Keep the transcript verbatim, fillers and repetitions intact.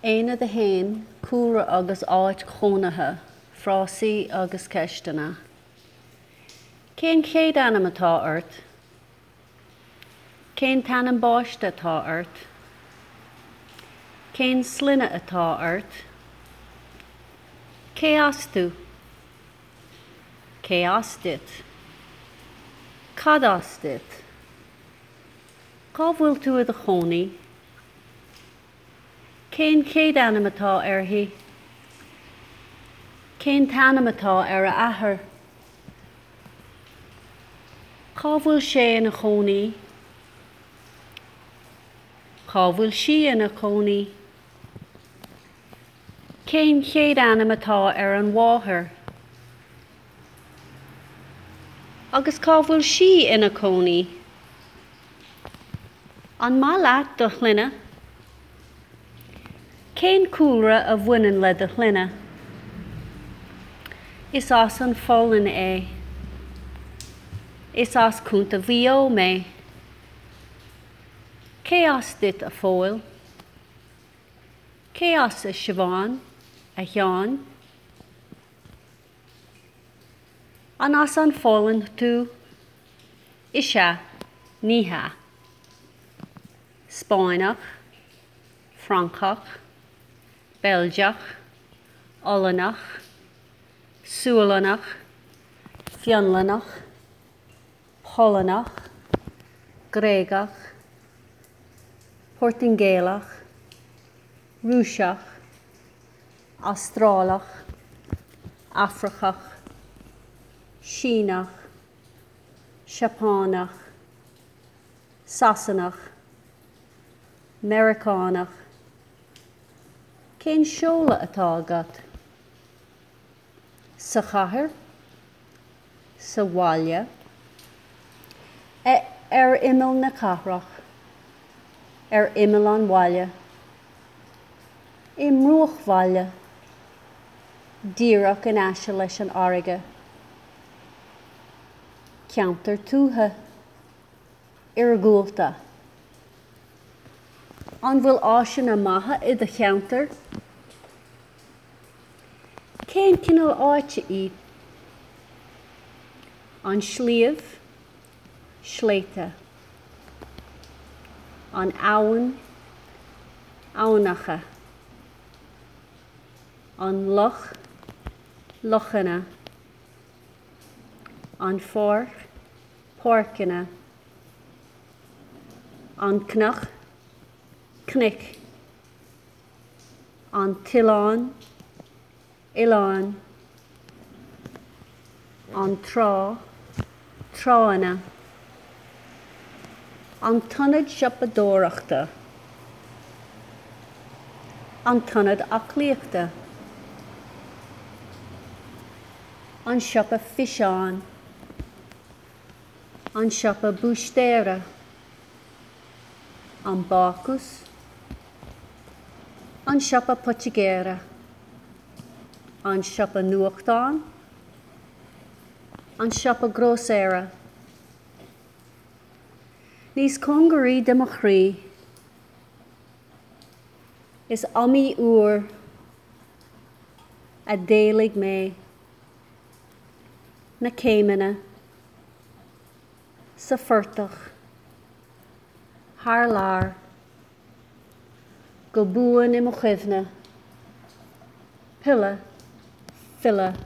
Aonad a haon, Cúlra agus áit chónaithe, frásaí agus ceisteanna. Cén chéad ainm atá ort? Cén t-ainm baiste atá ort? Cén sloinne atá ort? Cé as tú? Cé as duit? Cad as duit? Cá bhfuil tú i do chónaí? Cén chéad ainm atá uirthi? Cén t-ainm atá ar a athair? Cá bhfuil sé ina chónaí? Cá bhfuil sí ina cónaí? Cén chéad ainm atá ar an mháthair? Agus cá bhfuil sí ina cónaí? An maith leat do shloinne? Cén cúlra a bhaineann le do shloinne? Is as an Pholainn é. Is as Contae Mhaigh Eo mé. Cé as duit a Phóil? Cé as a Siobhán, a Sheáin? An as an Pholainn tú? Is ea, ní hea. Spáinneach, Francach, Beilgeach, Ollannach, Sualannach, Fionlannach, Polannach, Gréagach, Portaingéalach, Rúiseach, Astrálach, Afracach, Síneach, Seapánach, Sasanach, Meiriceánach. Cén seoladh atá agat? Sa chathair, sa bhaile, ar imeall na cathrach, ar imeall an bhaile, i mbruachbhaile, díreach in aice leis an fharraige, ceantar tuaithe, iargúlta. An bhfuil áiseanna maithe i do cheantar? Cén cineál áite í? An sliabh, sléibhte. An abhainn, aibhneacha. An loch, lochanna. An pháirc, páirceanna. An cnoc, cnoic. An t-oileán, oileáin. An trá, tránna. An t-ionad siopadóireachta. An t-ionad aclaíochta. An siopa físeán. An siopa búistéara. An bácús. An siopa poitigéara. An siopa nuachtán. An siopa grósaera. Níos cóngaraí do mo chroí. Is iomaí uair a d'éalaigh mé na céimeanna sa phortach thar lear go buan i mo chuimhne, pilleadh, filleadh.